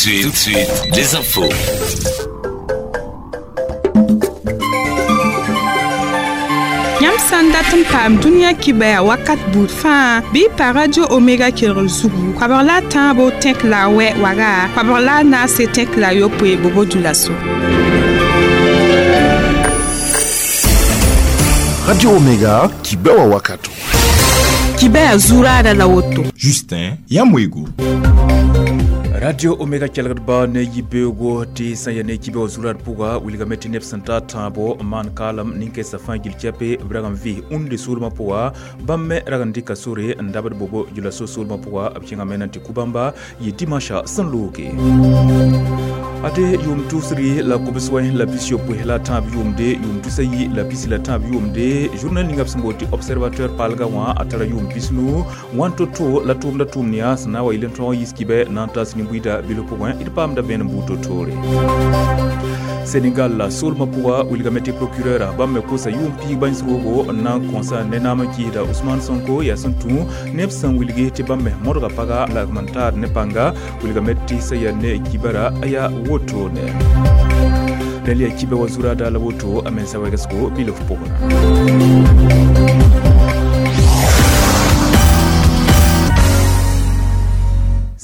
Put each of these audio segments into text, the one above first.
Tout de suite, les infos. Yãmb sã n dat n paam dũniyã kibɛa wakat buud fãa bɩ y pa Radio Omega kelgr zugu koabg la a tãabo tẽk la a wɛ waga koabg la a naase tẽk la a yopoe bobo dũlaso. Radio Omega, kibɛwa wakato. Kibɛa zuraada la woto. Justin Yamwego. Radio Omega kelgdba ne yibeoogo tɩ sã ya ne kibe wa zurad pʋga wilgame tɩ neb sẽn ta tãabo maan kaalem nin-kɛɛsã fãa gil kɛpe b rag n vɩ ũnde soolmã pʋga bãmb me rag n dɩka sore n dabd bobo julaso soolmã pʋga b kẽngame na n tɩ ku bãmba yɩ dimanche sẽn looge. Ade yʋʋm tʋsri la kobs wẽ la 60 la tãab yʋʋmde yʋʋm tusa yi la pisi la tãab yʋʋmde journal ninga b sẽn boond tɩ Observateur paalga wã a tara yʋʋm 90 wãn to-to la tʋʋmda tʋʋm yaa sẽn na n wa yɩl n tõog n yiis kibɛ na n tas nin-buiida bilf pʋgẽ d paamda vẽenem buud to-toore. Sénégal la soolmã pʋga wilgame tɩ procureur bãmb me kosa yʋʋm piig bãens roogo n na n kõsa ne naam n kɩɩsda Ousmane Sonko yaa sẽn tũ neb sẽn wilgi tɩ bãmb me modga paga la n taad ne pãnga wilgame tɩ sã yaa ne kibara a yaa wotone. Rẽl yaa kibɛ wa zurada la woto a mensa wɛgsgo bilf pʋgẽ.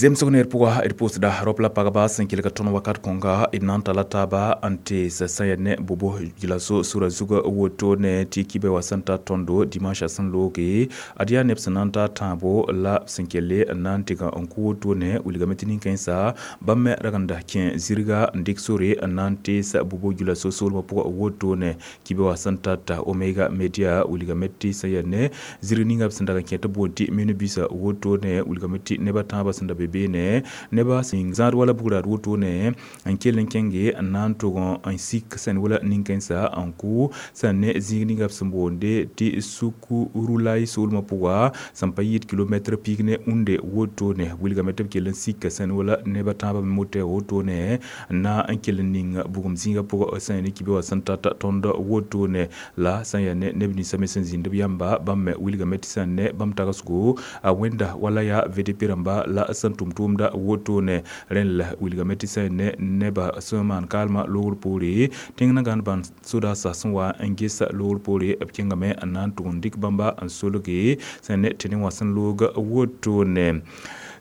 Zemsg neer pʋga d pʋʋsda rao la pagba sẽn kelg tõnd wakat kõnga d na n tala taaba n tees sã yaa ne bobo julaso sura zugã woto ne tɩ kibɛ wa sẽn ta tõndo dimanche sẽn looge ad yaa neb sẽn na n ta tãabo la sẽn kelle n na n tɩg n kʋ woto ne wilgame tɩ nin-kãensã bãmb me rag n da kẽ zirga n dɩk sore n na n tees bobo julaso soolmã pʋgã woto ne kibɛ wa sẽn tata Omega Media wilgame tɩ sã yaa ne zirg ninga b sẽn dag n kẽ tɩ boond tɩ minibus woto ne wilgame tɩ neb a tãabã sẽn da be beene neba sẽn zãad wala bugrad wotone n kell n kẽnge n na n tʋg n sik sẽn wala nin-kãensã n kʋ sẽn ne zĩig ninga b sẽn boonde tɩ Sukurulay soolmã pʋga sẽn pa yɩɩd kilomɛtr piig ne ũnde wotone wilgame tɩ b kell n sika sẽn wala neb a tãabã me motɛ wotone n na n kell n ning bugum zĩigã pʋgã sẽn ne kibe wã sẽn tata tõnd wotone la sẽn yaa ne neb ninsã me sẽn zĩnd b yãmba bãmb me wilgame tɩ sẽn ne bãmb tagsgo a wẽnda wala yaa VDP rãmba la sẽn tʋm tʋʋmda wotone rẽn la wilgame tɩ sã ne neba sẽn maan kaalmã loogr poore tẽng na gãnd bãn sodaasã sẽn wa n gesa loogr poore b kẽngame n na n tʋg n dɩk bãmba n solge sẽn ne tɩ ne wã sẽn loog wotone.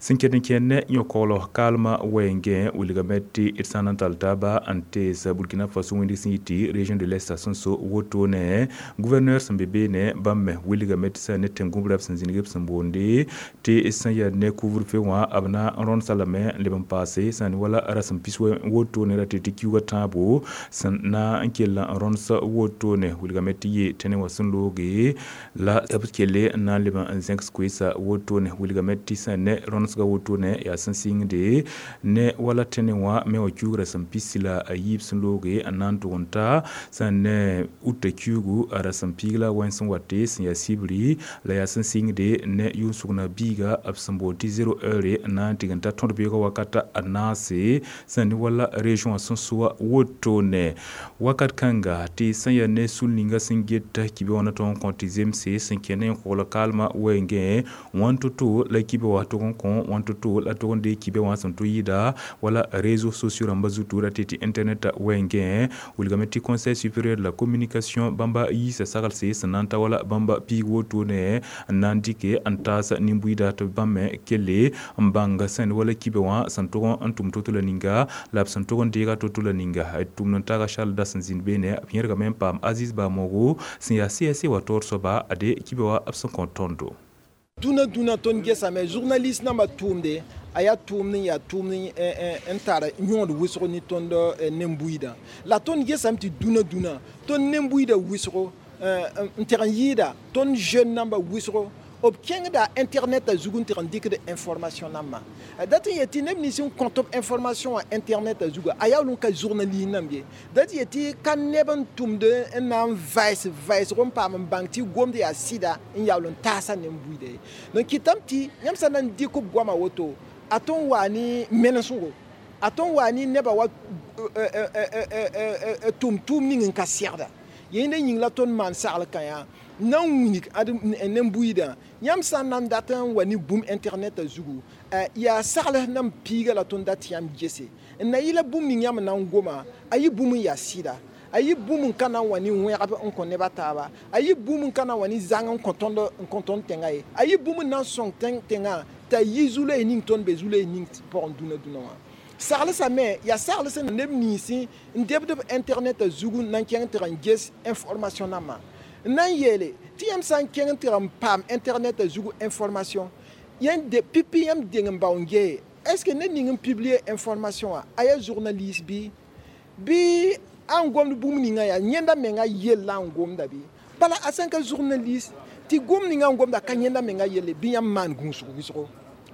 Sẽn ket n kẽnd ne yõ-koglg kaalmã wɛɛngẽ wilgame tɩ d sã n na n tall taaba n tees Burkina Faso wẽndg sẽn yɩ tɩ région de l'Est sẽn so wotone gouverneur sẽn be beene bãmb me wilgame tɩ sã ne tẽn-gũbrã b sẽn zĩnig b sẽn boonde tɩ sã yaa ne couvre-feu wã b na n rõndsa lame n leb n paase sã n wala rasem pis wotone ra tɩ tɩ kiuugã tãabo sẽn na n kell n rõns wotone wilgame tɩ yɩ tẽne wã sẽn looge la b kelle n na n leb n zẽgs koeesa wotone wilgame tɩ sã ne rõns wotone yaa sẽn sɩngde ne wala tẽne wã me wã kiuugrã sẽn pisi la a yiib sẽn looge n na n tʋg n ta sẽn ne uta kiuugu a rasem piig la wẽns sẽn wate sẽn yaa sibri la yaa sẽn sɩngde ne yʋʋn-sʋgna biiga b sẽn boond tɩ 0 heure n na n tɩg n ta tõd beoogã wakata a naase sẽn ne wala région sẽn soa wotone wakat kãnga tɩ sẽn yaa ne sul ninga sẽn get kibe wã na tõog n kõ tɩ zemse sẽn kẽ ne n kogl kaalmã wɛɛngẽ wãn to-to la kibe wã tʋg n kõ wãn to-to la tʋg n dee kibe wã sẽn tʋ yɩɩda wala réseaux sociaux rãmba zutu ra tɩ tɩ internet wɛɛngẽ wilgame tɩ Conseil supérieur de la communication bãmba yiisa saglse sẽn na n ta wala bãmba piig wotone n na n dɩke n taas nin-buiida tɩ bãmb me kelle n bãng sẽn wala kibe wã sẽn tʋg n tʋm to-to la ninga la b sẽn tʋg n deega to-to la ninga tʋmd n taaga Charles da sẽn zĩnd beene b yẽrgame n paam Aziz Bamogo sẽn yaa CSC wa taoor soaba ade kibe wã b sẽn kõ tõndo. Dũnã dũnã tõnd gesame journaliste nambã tʋʋmde a yaa tʋʋmd n yaa tʋʋmd n tar yõod wʋsg ne tõnd nen-buiidã la tõnd gesame tɩ dũnã dũnã tõnd nen-buiidã wʋsgo n teg n yɩɩda tõnd jeune nambã wʋsgo b kẽngda internet a zug n tɩg n dɩkd information nambã dat n yetɩ neb nins n kõt b information wã internet a zuga a yaa n ka journaliste namb ye dat yetɩ ka neb n tʋmd n na n vaɩs vaɩsg n paam n bãng tɩ gomd yaa sɩda n yaool n taasa nen-buiida ye. Donc kɩtame tɩ yãmb sã na n dɩk b goama woto a tõn waa ne menesgo a tõn waa ne nebã wa tʋm tʋʋm ning n ka segda yẽnda yĩng la tõnd maan sagl kã yaa Na n wilg ad nen-buiidã yãmb sã n na n dat n wa ne bũmb internet zugu, yaa sagls nan piiga la tõnd dat yãmb gese n na yɩla bũmb ning yãmb na n goma, a yɩ bũmb n yaa sɩda, a yɩ bũmb n ka na n wa ne wẽgb n kõ neb a taaba, a yɩ bũmb n ka na n wa ne zãng n kõ tõnd tẽngã ye, a yɩ bũmb n na n sõng tẽngã t'a yi zu-loees ning tõnd be zu-loees ning pʋgẽ dũnã dũnã wã. Saglsame yaa sagls neb ninsẽ n debd b internet zugu n na n kẽng tɩg n ges information nambã. N na n yeele tɩ yãmb sã n kẽng tɩg n paam internet zugu information, yãmb pipi yãmb deng n bao n gee, est ce que ned ning n publier information wã a yaa journaliste bɩ bɩ a n gomd bũmb ninga yaa yẽnda menga yell la n gomda bɩ? Bala a sã n ka journaliste tɩ gomd ninga n gomda ka yẽnda menga yelle, bɩ yãmb maan gũusg wʋsgo,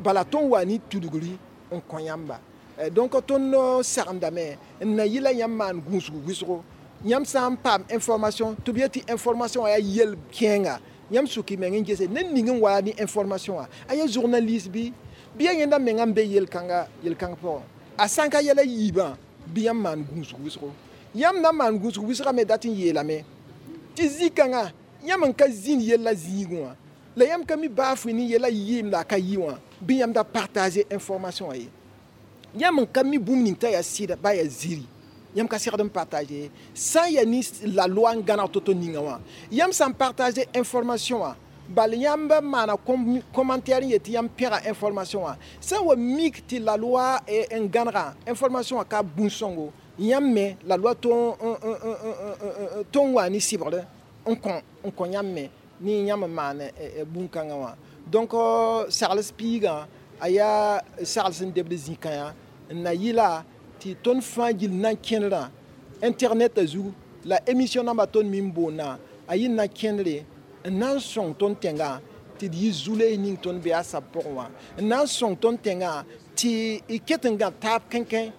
bala tõnd wa ne tudgri n kõ yãmba. Donc tõnd sagendame n na yɩla yãmb maan gũusg wʋsgo. Yãmb sã n paam information tɩ b yet tɩ information wã yaa yel kẽenga, yãmb suk y meng n gese ned ning n wa ne information wã a yaa journaliste bɩ bɩ yaa yẽnda menga n be yel-kãnga pʋgẽ. A sã n ka yɛla yiibã, bɩ yãmb maan gũusg wʋsgo. Yãmb na n maan gũusg wʋsgã me dat n yeelame tɩ zĩ-kãngã yãmb n ka zĩnd yella zĩigẽ wã, la yãmb ka mi baa fʋɩ ne yɛla yɩɩm la a ka yɩ wã, bɩ yãmb da partager information wã ye. Yãmb n ka mi bũmb ning t'a yaa sɩda ba yaa ziri, yãmb ka segd n partager sã n yaa ne la loi n gãneg to-to ninga wã. Yãmb sã n partager information wã, bal yãmb maana commentaire n yet tɩ yãmb pẽga information wã, sã n wa mik tɩ la loi n gãnega information wã ka bũn-sõngo, yãmb me la loi tõnd wa ne sɩbgr n kõ yãmb me ne yãmb n maan bũn-kãngã wã. Donc sagls piigã a yaa sagls n debd zĩ-kãyã n na yɩla tɩ tõnd fãa gill na n kẽnerã internet zugu la émission nambã tõnd me n boondã a yɩ na kẽndre n na n sõng tõnd tẽngã tɩ d yɩ zu-loees ning tõnd be a sab pʋgẽ wã, n na n sõng tõnd tẽngã tɩ y ket n gã taab kẽnkẽ.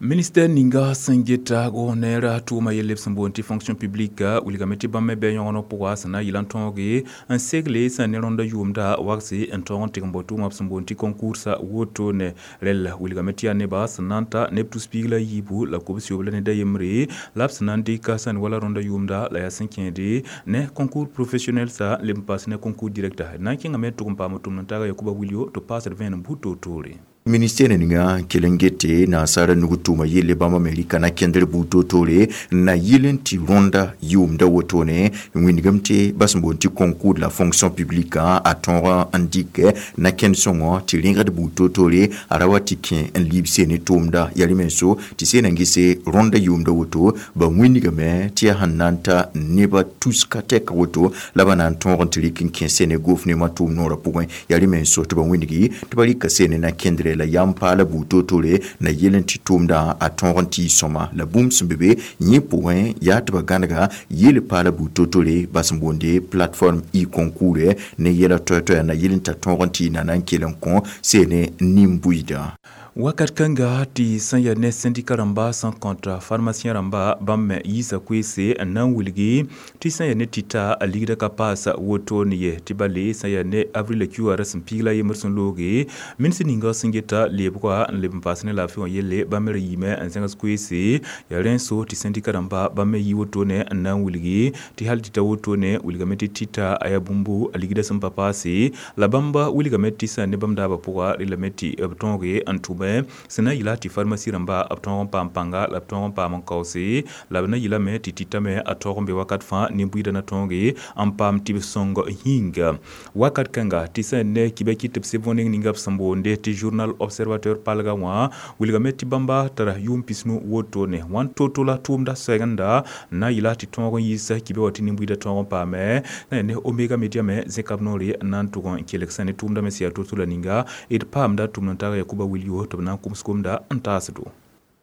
Ministère ninga sẽn geta goneera tʋʋma yelle b sẽn boond tɩ fonction publique wilgame tɩ bãmb me bɩ yõgeneg pʋga sẽn na n yɩla n tõoge n segle sẽn ne rõnda yʋʋmda wagse n tõog n tɩg n bao tʋʋma b sẽn boond tɩ concours wotone. Rɛl wilgame tɩ yaa neba sẽn na n ta neb tus piig la yiibu la kobs-yoob la ned a yembre la b sẽn na n dɩka sẽn wala rõnda yʋʋmda la yaa sẽn kẽede ne concours professionnel sa leb n paas ne concours direct. Na n kẽngame tʋg n paam tʋmd n taaga Yakuba Wilio tɩ paasd vẽenem buud toor-toore. Ministère ninga kelengete na sara nugu tʋʋma yelle bãmb Amerika na kẽndr buud toor-toore na yɩl n tɩ rõnda yʋʋmda wotone wĩndgame tɩ ba sẽn boond tɩ concours de la fonction publique a tõog n dɩk na kẽnd sõngɔ tɩ rẽgd buud toor-toore a ra wa tɩ kẽ n liib seene tʋʋmda yaa rẽ-menso tɩ seen n gese rõnda yʋʋmda woto ba wĩndgame tɩ yaa sẽn na n ta neba tuska tɛka woto la ba na n tõog n tɩ rɩk n kẽ seene gofnema tʋʋm noorã pʋgẽ yaa rẽ-menso tɩ ba wĩndgi tɩ ba rɩka seene na kẽndre la yam paala buud toor-toore na yel n tɩ tʋʋmdã a tõog n tɩ y sõma la bũmb sẽn be be yẽ pʋgẽ yaa tɩ ba gãnega yel paala buud toor-toore ba sẽn boonde plateforme e-concours ne yɛla toɛ-toɛya na yel n t'a tõog n tɩ y na na n kell n kõ seene nin-buiidã. Wakat kãnga tɩ sẽn yaa ne syndicat rãmba sẽn kõta pharmacien rãmba bãmb me yiisa koeese n na n wilgi tɩ sẽn yaa ne tɩta a ligda ka paas wotone ye tɩ bale sẽn yaa ne avril QR sẽn piig la yembr sẽn looge ministr ninga sẽn geta lebga n leb n paas ne laafɩ wã yelle bãmb me ra yiime n zẽgs koeese yaa rẽn-so tɩ syndicat rãmba bãmb me yi wotone n na n wilgi tɩ hal tɩ ta wotone wilgame tɩ tɩta a yaa bũmbu a ligda sẽn pa paase la bãmba wilgame tɩ sẽn ne bãmb daabã pʋga rɩlame tɩ b tõoge n tʋme sẽn na n yɩla tɩ pharmacie rãmba b tõog n paam pãnga la b tõog n paam n kaoose la b na yɩlame tɩ tɩtame a taoog n be wakat fãa nin-buiidã na tõoge n paam tɩ b sõng yĩnga. Wakat kãnga tɩ sẽn ne kibɛ kɩ tɩ b seb võneng ninga b sẽn boonde tɩ journal observateur palga wã wilgame tɩ bãmba tara yʋʋm pisnu wotone wãn to-to la tʋʋmda soɛgenda n na n yɩla tɩ tõog n yiisa kibɛ wã tɩ nin-buiidã tõog n paame na ne Omega Media me zẽka b noore n na n tʋg n kelg sẽn ne tʋʋmda me sẽn yaa to-to la ninga d paamda tʋmd n taaga Yakuba Wilio tɩ b na n kʋms gomda n taasdo.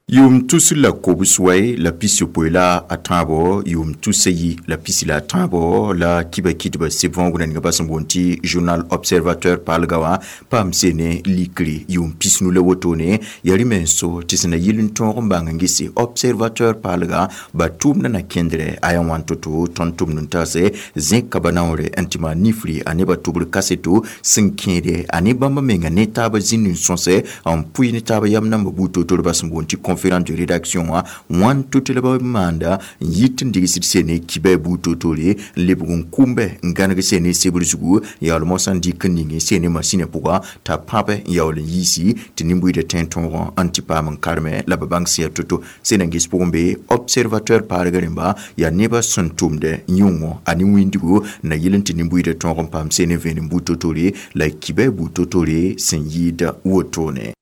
Yʋʋm tus la kobs wɛ la pis-yopoe la a tãabo yʋʋm tusa yi la pisi la a tãabo la kiba kɩtba seb võogna ninga ba sẽn boond tɩ journal observateur paalga wã paam seene likre yʋʋm pisnu la wotone yaa rẽ-menso tɩ sẽn na yɩl n tõog n bãng n gese observateur paalga ba tʋʋmda na kẽndrɛ a yaa wãn to-to tõnd tʋmd n taase zẽka ba naoore n tɩ maan nifri a nebã tʋbr kaseto sẽn kẽede a ne bãmba menga ne taabã zĩnd n sõsɛ n pʋɩ ne taabã yam nambã buud toor-toor ba sẽn boond tɩ conférence de rédaction wã wãn to-to la b maanda n yit n digsd sene kibɛ buud toor-toore n lebg n kʋmbe n gãneg sene sebr zugu yaool mosã n dɩk n ning sene masĩnã pʋga t'a pãbe n yaool n yiisi tɩ nin-buiidã tẽ tõogã n tɩ paam n karme la b bãng sẽn yaa to-to sẽn na n ges pʋgẽ be observateur paarg rẽmba yaa nebã sẽn tʋmdɛ yõngõ a ne wĩndigo na yɩl n tɩ nin-buiidã tõog n paam sene vẽenem buud toor-toore la kibɛ buud toor-toore sẽn yɩɩda wotone.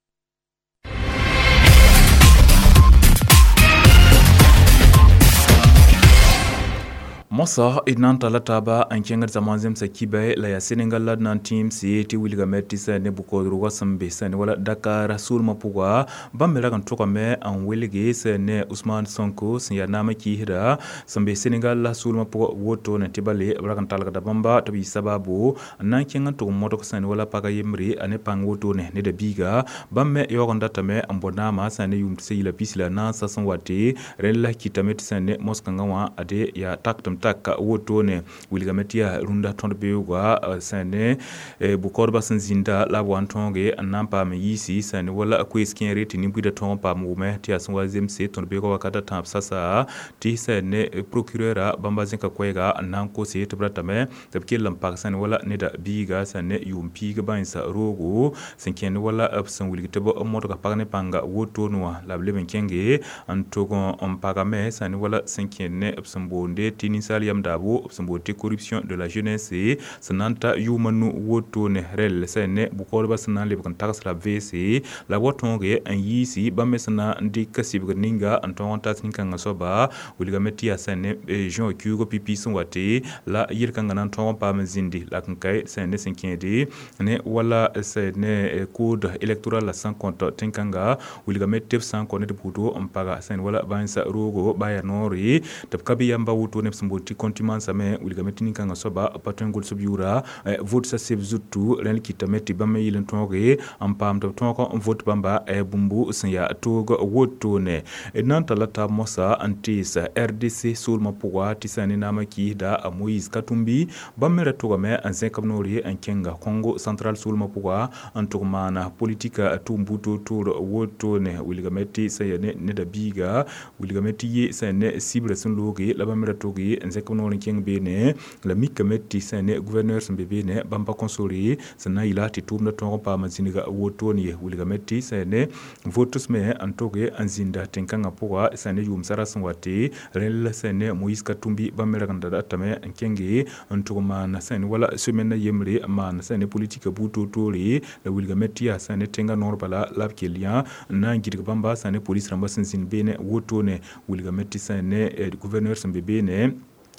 Mosa d na n talla taaba n kẽngd zãma zemsa kibɛ la yaa Senegal la d na n tẽemse tɩ wilgame tɩ sã ne bʋ-koodrgã sẽn be sã ne wala Dakar soolmã pʋga bãmb me rag n tʋgame n welge sã ne Ousmane Sonko sẽn yaa naamã kɩɩsda sẽn be Senegal la soolmã pʋgã wotone tɩ bale b rag n talgda bãmba tɩ b yɩ sababu n na n kẽng n tʋg n modg sã ne wala pagã yembre a ne pãng wotone neda biiga bãmb me yaoog n datame n bõ naamã sã ne yʋʋm 2014 sẽn wate rẽnd la kɩtame tɩ sã ne mos-kãngã wã ade yaa tak tɩm tak wotone wilgame tɩ yaa rũndã tõd beoogã sã ne bʋ-kaoodbã sẽn zĩnda la b wa n tõoge n na n paam n yiisi sã ne wala koees kẽere tɩ nin-buidã tõog n paam wʋme tɩ yaa sẽn wa zemse tõd beoogã wakat a tãab sasa tɩ sã ne procureurã bãmba zẽka koɛɛga n na n kose tɩ b ratame tɩ b kell n pag sã ne wala neda biiga sã ne yʋʋm piig bãensa roogo sẽn kẽnd wala b sẽn wilg tɩ b modga pag ne pãnga wotone wã la b leb n kẽnge n tʋg n pagame sã ne wala sẽn kẽnd ne b sẽn boonde tɩ ninsaal yam daabo b sẽn boond tɩ corruption de la jeunesse sẽn na n ta yʋʋma nu wotone rɛl sã ne bʋ-kaoodbã sẽn na n lebg n tags la b veese la b wa tõoge n yiisi bãmb me sẽn na n dɩk sɩbgr ninga n tõog n tas nin-kãngã soaba wilgame tɩ yaa sã ne juin kiuug pipi sẽn wate la yel-kãngã na n tõog n paam n zĩndi la n kae sã ne sẽn kẽede ne wala sã ne code électoral la sẽn kõt tẽn-kãnga wilgame tɩ b sã n kõ ned buudo n paga sã ne wala bãensa roogo baa yaa noore tɩ b ka bɩ yamba wotone b sẽn boond tɩ contumace me wilgame tɩ nin-kãngã soaba pa tõe n gʋls b yʋʋra vote sa seb zutu rẽnd kɩtame tɩ bãmb me yɩl n tõoge n paam tɩ b tõog n vote bãmba bũmbu sẽn yaa toog wotone d na n talla taab mosã n tees RDC soolmã pʋga tɩ sã ne naamã kɩɩsda a Moïse Katumbi bãmb me ra tʋgame n zẽk b noore n kẽnga Congo central soolmã pʋga n tʋg maana politika tʋʋm buud toor-toor wotone wilgame tɩ sã yaa ne neda biiga wilgame tɩ ye sã ne sibrã sẽn looge la bãmb me ra tʋge n zẽk b noor n kẽng beene la mikame tɩ sã ne gouverneur sẽn be beene bãmb pa kõ sore sẽn na n yɩla tɩ tʋʋmdã tõog n paam n zĩnga wotone ye wilgame tɩ sã ne votes me n tʋge n zĩnda tẽn-kãngã pʋga sã ne yʋʋm sara sẽn wate rẽnd la sã ne Moïse Katumbi bãmb me rag n da datame n kẽnge n tʋg maana sã ne wala semaine yembre n maan sã ne politika buud toor-toore la wilgame tɩ yaa sã ne tẽngã noor bala la b kell yã n na n gɩdg bãmba sã ne polis rãmbã sẽn zĩnd beene wotone wilgame tɩ sã ne gouverneur sẽn be beene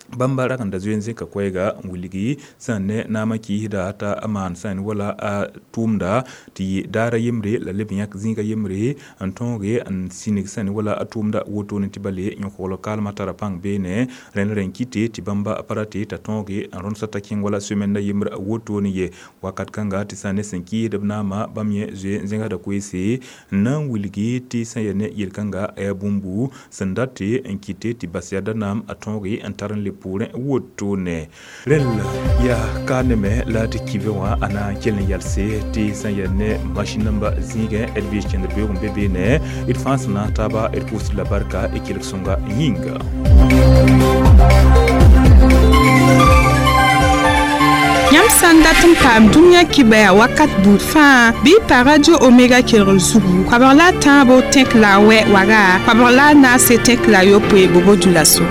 bãmba rag n da zoe n zẽka koɛɛga n wilgi sã n ne naamã kɩɩsda t'a maan sã n wala a tʋʋmda tɩ yɩ daara yembre la leb n yãk zĩiga yembre n tõoge n sĩnig sã n wala a tʋʋmda wotone tɩ bale yõkogl kaalmã tara pãng beene rẽnd rẽn kɩte tɩ bãmba pa rate t'a tõoge n rõndsa t'a kẽng wala semaine yembr wotone ye wakat kãnga tɩ sã ne sẽn kɩɩsd b naamã bãmb yẽ zoe n zẽgsda koeese n na n wilgi tɩ sã yaa ne yel-kãnga yaa bũmbu sẽn date n kɩte tɩ bas yada naam a tõoge n tar n leb poorẽ wotone rẽnd yaa ka neme la tɩ kibe wã a na n kell n yalse tɩ sã n yaa ne masin namba zĩigẽ d vɩɩs kẽndr beoog n be beene d fãa sẽn na n taaba d pʋʋsd la barka d kelg sõnga yĩnga. Yãmb sã n dat n paam dũniyã kibɛa wakat buud fãa bɩ y pa radio omega kelgr zugu koabg la a tãabo tẽk la a wɛ waga koabg la a naase tẽk la a yopoe bobo dũlaso.